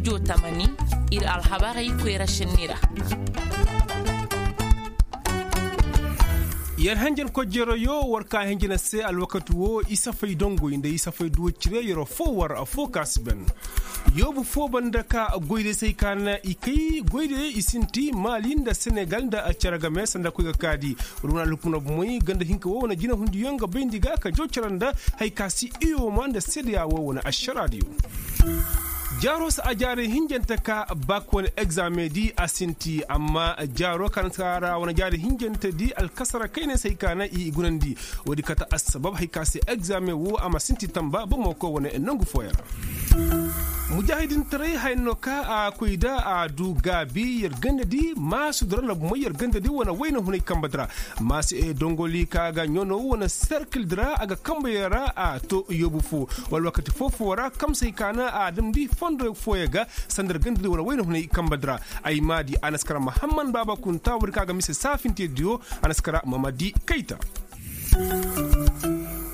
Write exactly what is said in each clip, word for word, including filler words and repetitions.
Tamani, ir alhabarey koyra šenni ra. Yer henjen kojjeroyo war ka henjen a se alwakati woo isafay dongoy nda isafay duwa cire yeroo foo war affoo ka si ben. Yoobu foo banda ka goydey se hay ka na i kay goydey i sinti maali nda senegal nda cere game sanda koy ga kaadi. Wala wane alhukumna bumoy ganda hinka woo wane jinahundiyo nga bayndi ga ka jaw cere nda hay ka si iyoma nda seedeya woo wane ašaraadiyo. Jaaroo se a jaarey hinjante ka bak wane egzaameŋ di a sinti amma jaaroo ka na si ka ra wane jaarey hinjante di alkasara kayney se hay ka na i gunandi. Woodi kate assabab hay ka se egzaameŋ woo a ma sinti tamba bomo koy wane nangu fooyaŋ ra. Mujaahidintaray haya no ka a koy da a du gaabi yer ganda di maasudi ra na bumoy yer ganda di wane wayna hunay kamba di ra. Maasi dongoli ka ga ɲono wane serkil di ra a ga kambayaŋ ra a to yoobu foo. Wala wakati foo-foo ra kamsey ka na a damndi fondo fooyaŋ ga sanda yer ganda di wane wayna hunay kamba di ra. Ay maadi a na si kara mahamman baaba kunta woodi ka ga mise saafintediyo. A na si kara mamadi kayta.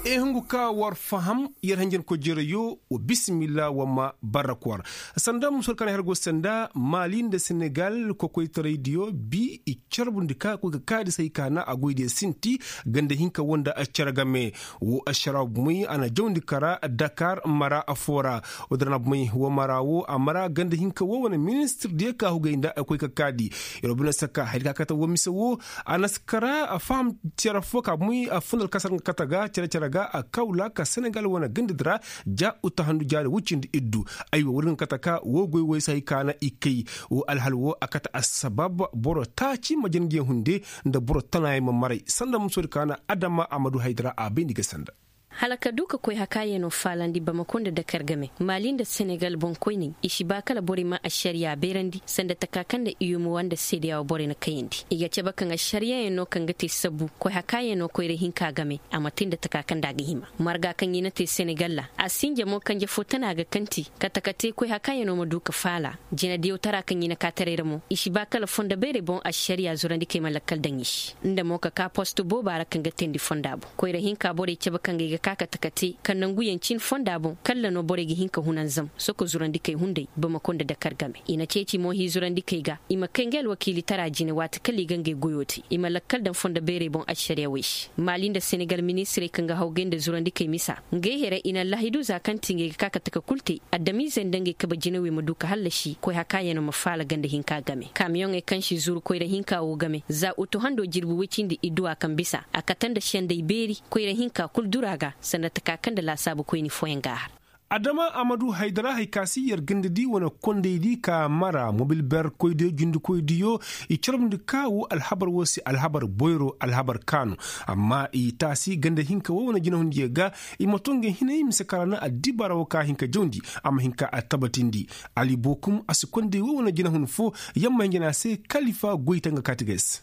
I hungu ka war faham yer hanjankoy jereyoo. Wa bisimilla wa ma barrak war. Sanda musor kaŋ ay har go sanda maali nda senegal kokoytaraydiyo bi i carbundi ka koy ga kaadi se hay ka na a goydiyo sinti ganda hinka woo nda cere game. Woo ašaraw bumey a na jawndi kara dakar mara affoo ra. Woo dira na bumey woo mara woo a mara ganda hinka woo wane ministirdiyo ka hugay nda koy ga kaadi. Yer wo bine saka haydi ka kate woo mise woo. A na si kara a faham cere foo ka bumey a funda alkasar nga kate ga cere-cere ga a kawla ka senegal wane gandadi ra. Ja uta handu jaari woy cindi iddu. Aywa woodi nga kate ka woo goy woy se hay ka na i kay. Woo alhal woo a kate assabab boro taaci ma jin ngiya hunde nda boro tanaayaŋ ma maray sanda musoodi ka na adama a ma du haydi ra a bayndi ga sanda. Hala ka du ka koy hakaayanoo faalandi bamako nda dakar game maali nda senegal boŋkoyney i si ba kala borey ma ašariyaa beerandi sanda taka kaŋ nda iyumowa nda seedeyaa woo borey na kayandi i ga cabe kaŋ ašariyayaŋ no kaŋ ga te sabu koy hakaayanoo koyra hinka game. A ma te nda taka kaŋ nda a ga hima marga kaŋ i na te senegal ra a sinja mo kanje fo tana ga kanti kate ka te koy hakaayanoo ma du ka faala. Jinadiyaw tara kaŋ i na kaataray ra mo i si ba kala fondo beerey boŋ ašariyaa zurandikey ma lakkal daŋ i se nda mo ka ka post booba ra kaŋ ga teendi fonda boŋ koyra hinka borey cabe kaŋ ga ay ga ka kate ka te ka nanguyaŋ cin fonda boŋ kalla no borey ga hin ka hunanzam soko zurandikey hunday bamako nda dakar game i na ceeci mo hii zurandikey ga i ma kay nga alwakiilitara jine waati kala i ga ngey goyoo te i ma lakkal daŋ fondo beerey boŋ ašariyawey se maali nda senegal ministirey kaŋ ga hawgay nda zurandikey misa ngey here i na allahidu za kaŋ ti ngey ga ka kate ka kul te adamiizey nda ngey kabe jinawey ma du ka hallasi koy hakaayanoo ma faala ganda hinka game kaamiyoŋey kaŋ si zuru koyra hinka woo game za utu hando jirbi woy cindi idduwa kaŋ bisa a kate nda senday beeri koyra hinka kul duru a ga sanda taka kaŋ nda laasaabu koyni fooyaŋ ga a har. Adama a ma du haydara hay ka si yer ganda di wane kondaydi ka mara mobil ber koydiyo jundikoydiyo i carbundi ka woo alhabar woo se alhabar boyro alhabar kaanu. Amma i taasi ganda hinka woo wane jinahundiyo ga i ma to ngey hinay mise ka ra na addibaara woo ka hin ka jawndi a ma hin ka tabatindi. Ali bookum a si konday woo wane jinahun foo yamma hinja ne a se kalifa goy te nga kaati ga ay se.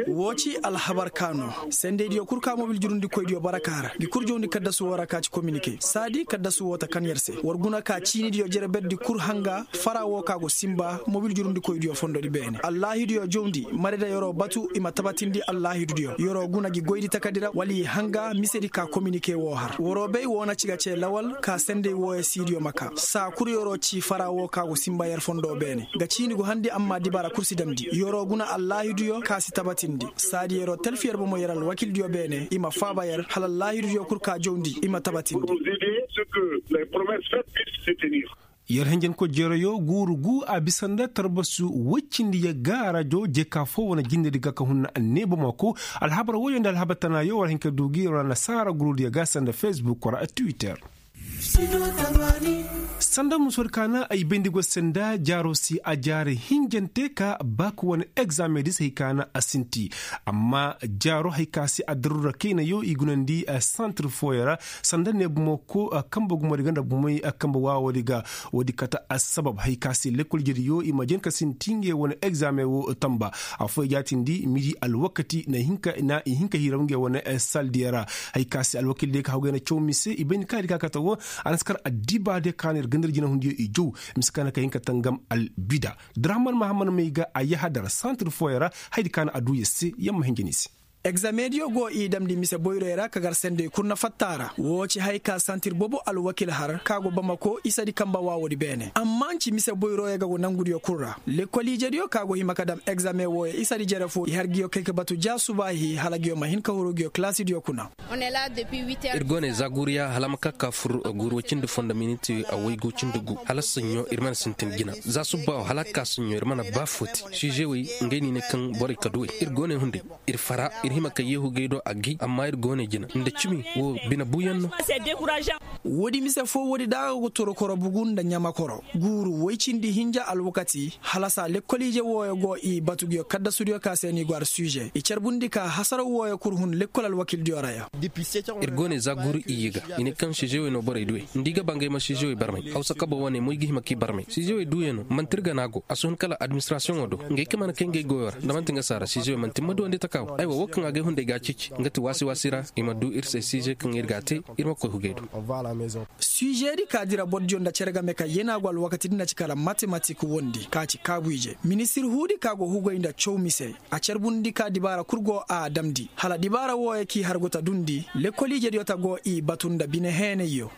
Woo ci alhabar ka no sendeydiyo kul ka mobil jurundikoydiyo bara ka ra ngi kul jawndi kaddasu woo ra ka ci kominike saadi kaddasu woo ta kan yer se war guna ka ciinidiyo jere berdi kul hanga fara woo ka go sinba mobil jurundikoydiyo fondodi beene allaahiduyo jawndi marida yeroo batu i ma tabatindi allaahidudiyo yeroo guna ngi goydi takadira wala i hanga misedi ka kominike woo har waroo bay woo na ci ga cee lawal ka sendey wooyo siidiyo ma kaa saa kul yeroo ci fara woo ka go sinba yer fondo beene ga ciini go handi amma dibaara kul si damndi yeroo guna allaahiduyo ka si tabatindi saadi yeroo talfi yer bomo yer alwakildiyo beene i ma faaba yer hala allaahidudiyo kul ka jawndi i ma tabatindi. Yer henjenko jereyo guuru guu a bisa nda tarbasu woy cindi yagga rajo jeka foo wane jindedi ga ka hun na annee bomo ko alhabar woyo nda alhabar tanaayo war hin ka duu gi yer wane nasaara guruudiyo ga sanda facebook wara twitter. Sanda musor kaana ay bayndi go sanda jaaro si a jaare hinjante ka baak wane egzaameŋ di se hay kaana a sinti. Amma jaaro hay ka si a daruura kaynayo i gunandi santir fooyo ra sanda ne bomo ko kambe gumo di ganda bomey kambe waawoo di ga. Woodi kate assabab hay ka si lekkol jediyo i ma jen ka sinti ngey wane egzaameŋ wo tamba. Affooyo jaatindi midi alwakati na i hin ka hiiraw ngey wane saldiyo ra. Hay ka si alwakil diyo ka haw gay na caw mise i bayndi ka di ka kate wo. A na si kar addiba diyo ka na ir gandar jinahundiyo i jaw mise ka na ka hin ka tangam albida. Dirahaman mahaman may ga a yahadar santir fooyo ra. Hay di ka na a duu yer se yer ma hinja ni se. Egzameŋ diyo go i damndi mise boyroyo ra ka gar sendey kul na fatta a ra. Woo ci haya ka santir bobo alwakil har ka go bamako isadi kamba waawoodi beene amma nci mise boyroyo ga go nangudiyo kul ra. Lekkol ijediyo ka go hima ka dam egzameŋ wooyo isadi jere foo i har nguyo kay ka batu ja subaahi hala nguyo ma hin ka huru nguyo kalaasidiyo kuna. Ir go ne za guuriya hala a ma ka ka fur guuri woy cindi fondo miniti waygu cindi gu hala saɲɲo ir mana sintin jina. Za subba wo hala a ka saɲɲo ir mana ba footi. Siizewey ngey no i ne kaŋ borey ka duwey ir go ne hunday. Ir fara ir hima ka yeehu gay do a gay amma ir go ne jina nda cimi wo bine buuyaŋ no. Woodi mise foo woodi da a go ga toro koro bugu nda ɲama koro guuru woy cindi hinja alwakati. Halasa lekkol ije wooyo go i batu nguyo kaddasudiyo ka se no i go har suuze i carbundi ka hasaraw wooyo kul hun lekkol alwakildiyo ra ya. Ir go ne za guuru iyye ga i ne kaŋ siizewey no borey duwey nda i ga ba ngey ma siizewey barmay hawsa kabo wane mo i ga hima k'i barmay siizewey duuyaŋo man'ti ir gana go a si hun kala administirasiyoŋo do. Ngey ka mana kay ngey goyo ra nda man'ti nga saara siizewey man'ti ma duwandi taka wo aywa wo kaŋ a gay hunday ga a ceeci nga ti waasi waasi ra i ma du ir se siize kaŋ ir ga a te. Ir ma koy hugey do. Suuzedi ka dira bordiyo nda cere game ka yeenaa go alwakatidi na ci kala matematik wondi ka ci kaabu ije ministir huudi ka go hugey nda caw mise. A carbundi ka dibaara kul go a damndi hala dibaara wooyo k'i hargu ta dundi lekkol ijediyo ta go i batu nda bine heenayyo.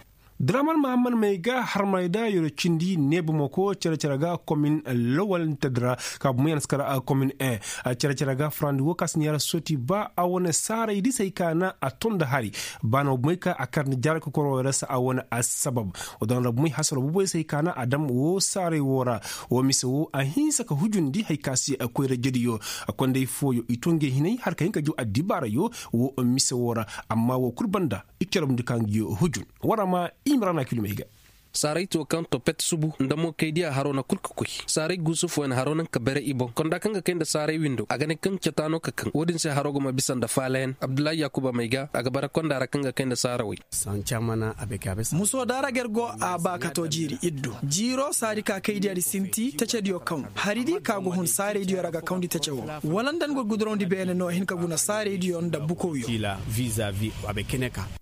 Draman mahamman may ga harmarayda yoro cindi neebamako cere-cere ga komin lawal nitedra ka bumo yaŋ na si kar komin en. Cere-cere ga farandi wo ka si neera soti ba a wane saaray di se hay ka na a ton nda hari. Ba na bumey ka a kar nda jaara kokoro ra se a wane assabab. Wadaŋ ra bumey hasaro bubey se hay ka na a dam wo saaray wo ra. Wo mise wo a hinsa ka hujundi hay ka si koyra jediyo. Konday fooyo i to ngey hinay har ka hin ka jaw addibaarayo wo mise wo ra. Amma wo kul banda i corobundi ka ngi hujun. Wara ma i ma ra na kilomey ga. Saaray to kaŋ to pet subu nda mo kay diya haro na kul ka koy. Saaray guusu fooyaŋ haro naŋ ka bere i boŋ konda kaŋ ga kay nda saaray windo a ga ne kaŋ cata no ka kaŋ wo-din se haro ga ma bisa nda faalayaŋ abdullahi yaakuba may ga a ga bara konda ra kaŋ ga kay nda saarawey. Muso da ra ga ir go a ba ka to jiiri iddu jiiro saadi ka kay diya di sinti tacediyo kaŋ hari di ka go hun saaraydiyo ra ga kawndi tace wo. Wala nda ni go gudurawndi beene no hin ka guna saaraydiyo nda bukowyo.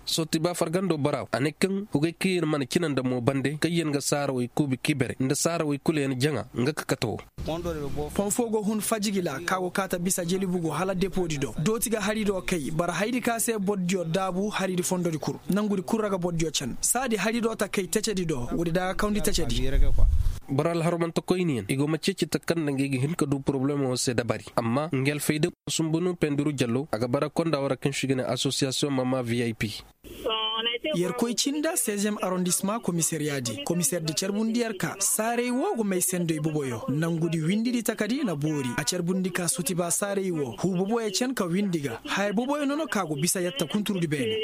Sooti ba fargando bora a ne kaŋ hugay kaŋ yer mana cina nda mo bande kaŋ yer ga saarawey kuubi kibere nda saarawey kulu yer jaŋa nga ka kate wo. Fon fo go hun fajigila ka go kaata bisa jelibugu hala depoodi do dooti ga hari do kay bara haydi ka se bordiyo daabu haridi fondodi kul nangudi kul ra ga bordiyo can saadi hari do ta kay tacedi do woodi da ga kawndi tacedi. Boro alharmanta koyniyaŋ i go ma ceeci ta kaŋ nda ngey ga hin ka du porobalemo se dabari amma ngi alfayda. Sumbunu pendiru jallo a ga bara konda wara kaŋ si ga ne asosiyasiyoŋ mama vip. Yerkoy cinda seizième arrondissement komisariya di komisaire di carbundi yer ka saaray wo go may sendoy boboyo nangudi windidi takadi na boori a carbundi ka sotiba saaray wo hu boboyo can ka windi ga haya boboyo nono ka go bisa yatta kunturudi beene.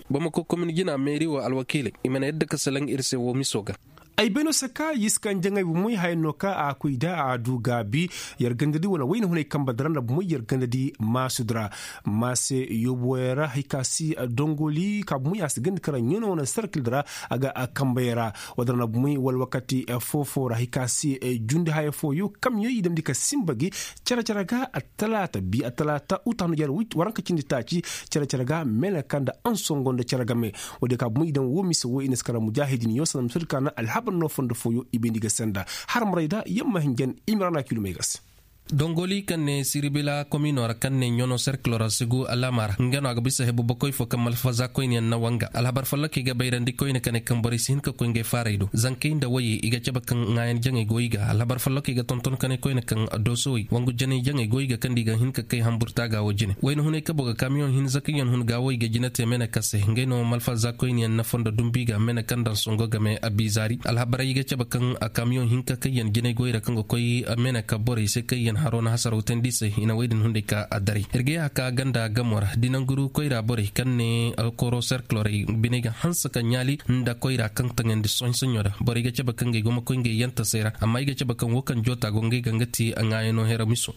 Bamako komin jina meeri wo alwakiiley i mana yadda ka salaŋ ir se wo miso ga. Ay bay no se ka yiskan jaŋay bomoy haya no ka a koy da a du gaabi. Yer gandadi wane wayna hunay kamba dara nda bomoy yer gandadi maasudi ra maase yoobo yer ra hay ka si dongoli ka bomoy a si gandi kara ɲano wane serkil dara a ga kamba yer ra. Wadara nda bomoy wala wakati foofo ra hay ka si jundi haya fooyo kamyo i damndi ka simba gi cere-cere ga. Talaata bi a talaata uta no yer waranka cindi taaci cere-cere ga meeneka nda ansongo nda cere game. Woodiyo ka bomo i daŋ woo mise woo i na si kara mujaahidin yo sanda mise di ka na alhabar no fondo fooyo i bayndi ga senda. Har maray da yamma hinjan i ma ra na kilomey ga se. Dongoli kaŋ ne siribila komino ra kaŋ ne ɲono serkilo ra sigu alama ra nga no a ga bisa hebu bakoy fo kaŋ malfaza koyne yaŋ na wanga alhabar follokey ga bayrandi koyne ka ne kaŋ borey si hin ka koy ngey faaray do zankey nda wayey i ga cabe kaŋ ŋaayan jaŋey go i ga alhabar follokey ga tonton ka ne koyne kaŋ doosowey wangu janey jaŋey go i ga kaŋ da i ga hin ka kay hamburta ga wo jine wayna hunay kabo ga kamiyoŋ hinza kaŋ yaŋ hun ga wo i ga jine te mene ka se ngey no malfaza koyne yaŋ na fondo dumbi ga mene kaŋ daŋ songo game abizaari alhabarey i ga cabe kaŋ kamiyoŋ hinka kaŋ yaŋ jinay goy ra kaŋ ga koy mene ka borey se kaŋ yaŋ haro na hasaraw tandi se i na wey din hunday ka a daray ir ga ya ka ganda gamo ra dinanguru koyra borey kaŋ ne koro serkilorey biney ga hanse ka ɲaali nda koyra kaŋ taŋandi sohõ sohõ da borey ga cabe kaŋ ga i go ma koy ngey yantasey ra amma i ga cabe kaŋ wo kaŋ joota go ngey ga nga ti ŋaayano hera miso.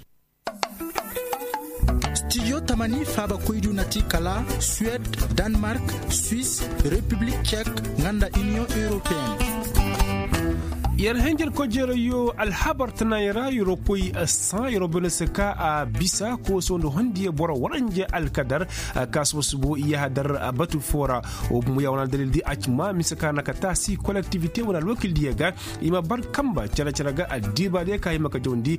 Stijo tamani faaba koydu na ti kala suwed, danmark, swis, repiblik cek, nga nda iniyoŋ europeyenne. Yer hanjar kojeerayo alhabar tanaayey ra yeroo koy saa yeroo bene se ka a bisa kooso nda hondiyo boro waranja alkadar. Kaasuba subo i yahadar batu foo ra. Wo bumo ya wane aldalil di a ci maa mise ka na ka taasi kolektivite wane alwakil diyo ga i ma bar kamba cere-cere ga addiiba diyo ka hima ka jawandi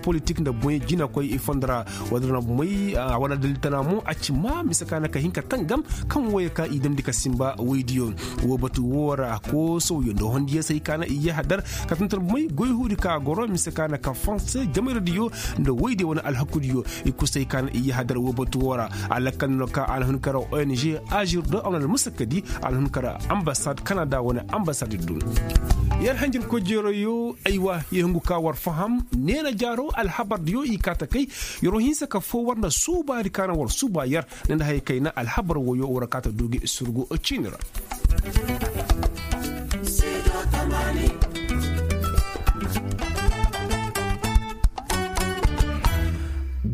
politik nda boŋey jinakoy i fondo ra. Wadin ra boŋey a wane aldalil tana mo a ci maa mise ka na ka hin ka tangam kaŋ wooyo ka i damndi ka sinba woydiyo. Woo batu woo ra koosowyo nda hondiyo se hay ka na i yahadar ka tantar boŋey goy huudi ka goro mise ka na ka fonse jamayra diyo nda woydiyo wane alhakudiyo. I kul se hay ka na i yahadar woo batu woo ra. A lakkal no ka a na hun kara ong ajir do a wane almusakkadi a na hun kara ambasad kanada wane ambasad du. Yer hanjir kojeeroyo aywa yer hungu ka war faham neena jaaro alhabar diyo i kaa ta kay. Yeroo hinsa ka foo war nda suubaadi ka na war suuba yer ne nda haya kayna alhabar woyo war kaa ta du gi surgu ciini ra.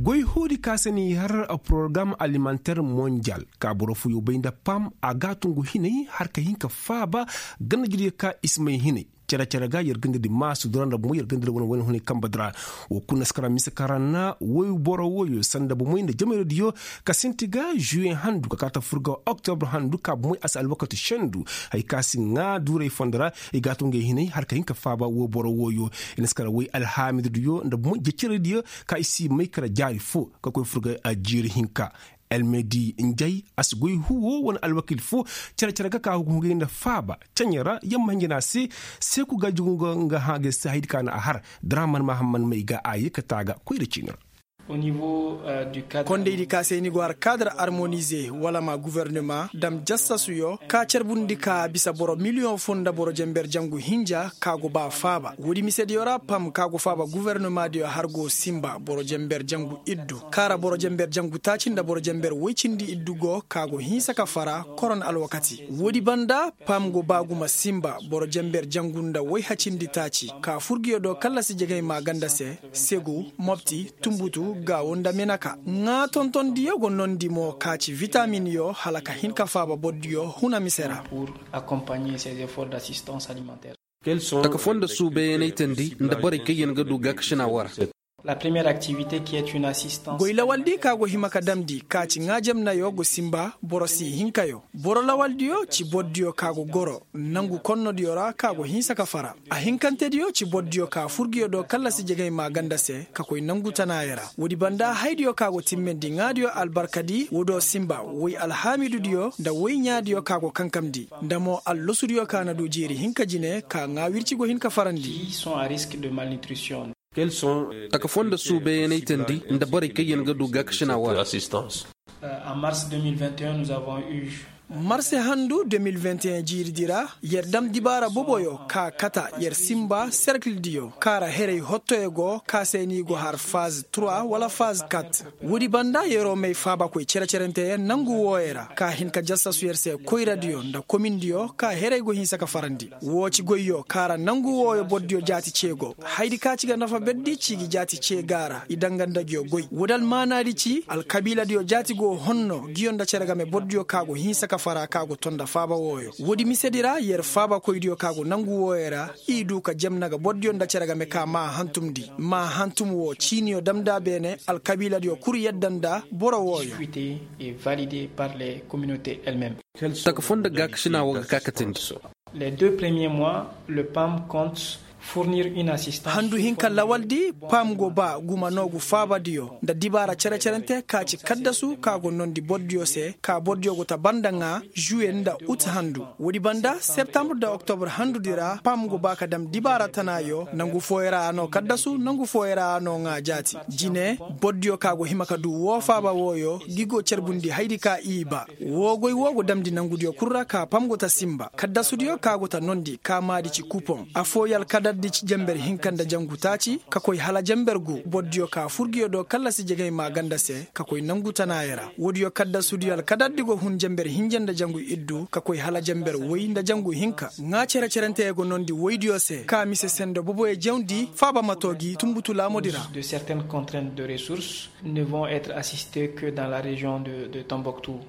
Goy huudi ka se ni har porogaram alimanter monjal ka boro fooyo bay nda pam a ga a tungu hinay har ka hin ka faaba ganda jiryo ka i si may hinay. Cere-cere ga yer ganda di maasu dura nda bumo yer ganda di wane wane hunay kamba dura. Woo kul na si kara mise kara na woy boro woyo sanda bumoy nda jamayra diyo ka sinti ga juwe handu ka kaata fur ga oktobre handu ka bumoy a si alwakati sendu. Hay ka si ŋaa duuray fondo ra i ga a tun ga ay hinay har ka hin ka faaba woo boro woyo. I na si kara woy alhaamidu diyo nda bumoy jecere diyo ka i si may kara jaari foo ka koy fur ga jiiri hinka. Elmedi njay a si goy huwo wane alwakil foo cere-cere ga ka hugu hugay nda faaba ceɲe ra yamma hinja na a se. Seeku ga jugu nga hã ga se haydi ka na a har draman mahamman may ga a ye ka taa ga koyra ciini ra. Kondaydi ka se ni go har kaadar armonize wala ma guvernema dam jassasuyo ka carbundi ka bisa boro miliyoŋ foo nda boro jenber jangu hinja ka go ba faaba woodi misediyo ra pam ka go faaba guvernema diyo har go sinba boro jenber jangu iddu kaara boro jenber jangu taaci nda boro jenber woy cindi iddu go ka go hinsa ka fara koron alwakati. Woodi banda pam go ba gumo sinba boro jenber jangu nda woy hacindi taaci ka furgiyo do kallasi jegey maaganda se segu mopti tunbutu gaawo nda menaka. Ŋaa tontondiyo go nondi mo ka ci vitaminyo hala ka hin ka faaba bordiyo huna mise ra. Taka foo nda suubayanay teendi nda borey kaŋ yaŋ ga du gaakasinaa woo ra. Goy lawaldi ka go hima ka damndi ka ci ŋaa jemnayo go sinba boro si hinkayo. Boro lawaldiyo ci bordiyo ka go goro nangu konnodiyo ra ka go hinsa ka fara. Ahinkantediyo ci bordiyo ka furgiyo do kallasi jegey maaganda se ka koy nangu tanaayey ra. Woodi banda haydiyo ka go timmendi ŋaadiyo albarkadi woo do sinba woy alhaamidudiyo nda woy ɲaadiyo ka go kankamndi nda mo allosudiyo ka na du jiiri hinka jine ka ŋaa wirci go hin ka farandi. Taka foo nda suubayanay teendi nda borey kaŋ yaŋ ga du gaakasinaa woo ra. Marse handu de mil vingt et un jiiridi ra yer dam dibaara boboyo ka kata yer sinba serkildiyo ka ra heray hottoyo go ka se ni go har faz trois wala faz quatre. Woodi banda yeroo may faabakoy cere-cerenteyaŋ nangu wooyo ra ka hin ka jassasu yer se koyradiyo nda komindiyo ka heray go hinsa ka farandi. Woo ci goyyo ka ra nangu wooyo bordiyo jaati cee go. Haydi ka ci ga nafa berdi ci gi jaati cee ga a ra i danga nda nguyo goy woodi almaanaadi ci alkabiiladiyo jaati go honno nguyo nda cere game bordiyo ka go hinsa ka fara ka go ton nda faaba wooyo. Woodi misedi ra yer faabakoydiyo ka go nangu wooyo ra i du ka jemna ga bordiyo nda cere game ka maa hantumndi maa hantum woo ciiniyo damnda beene alkabiiladiyo kul yadda nda boro wooyo. Taka foo nda gaakasinaa woo ga kaakatandi. Handu hinka lawaldi pam go ba guma noogu faabadiyo nda dibaara cere-cerente ka ci kaddasu ka go noondi bordiyo se ka bordiyo go ta banda ŋaa juwe nda ut handu. Woodi banda septambre nda oktobr handudi ra pam go ba ka dam dibaara tanaayo nangu fooyo ra a noo kaddasu nangu fooyo ra a noo ŋaa jaati. Jine bordiyo ka go hima ka du woo faaba wooyo gi go carbundi haydi ka i ba. Woo goy woo go damndi nangudiyo kul ra ka pam go ta sinba kaddasudiyo ka go ta noondi ka maadi ci kupoŋ. Affooyo alkadardi ci jenber hinka nda jangu taaci ka koy hala jenber gu bordiyo ka furgiyo do kallasi jegey maaganda se ka koy nangu tanaayey ra. Woodiyo kaddasudiyo alkadardi go hun jenber hinja nda jangu iddu ka koy hala jenber woy nda jangu hinka. Ŋaa cere-cerenteyaŋ go noondi woydiyo se ka mise sendo boboyo jawndi faaba ma too gi tunbutu laamudi ra. Ne vont être assistes que dans la région de tombouctou.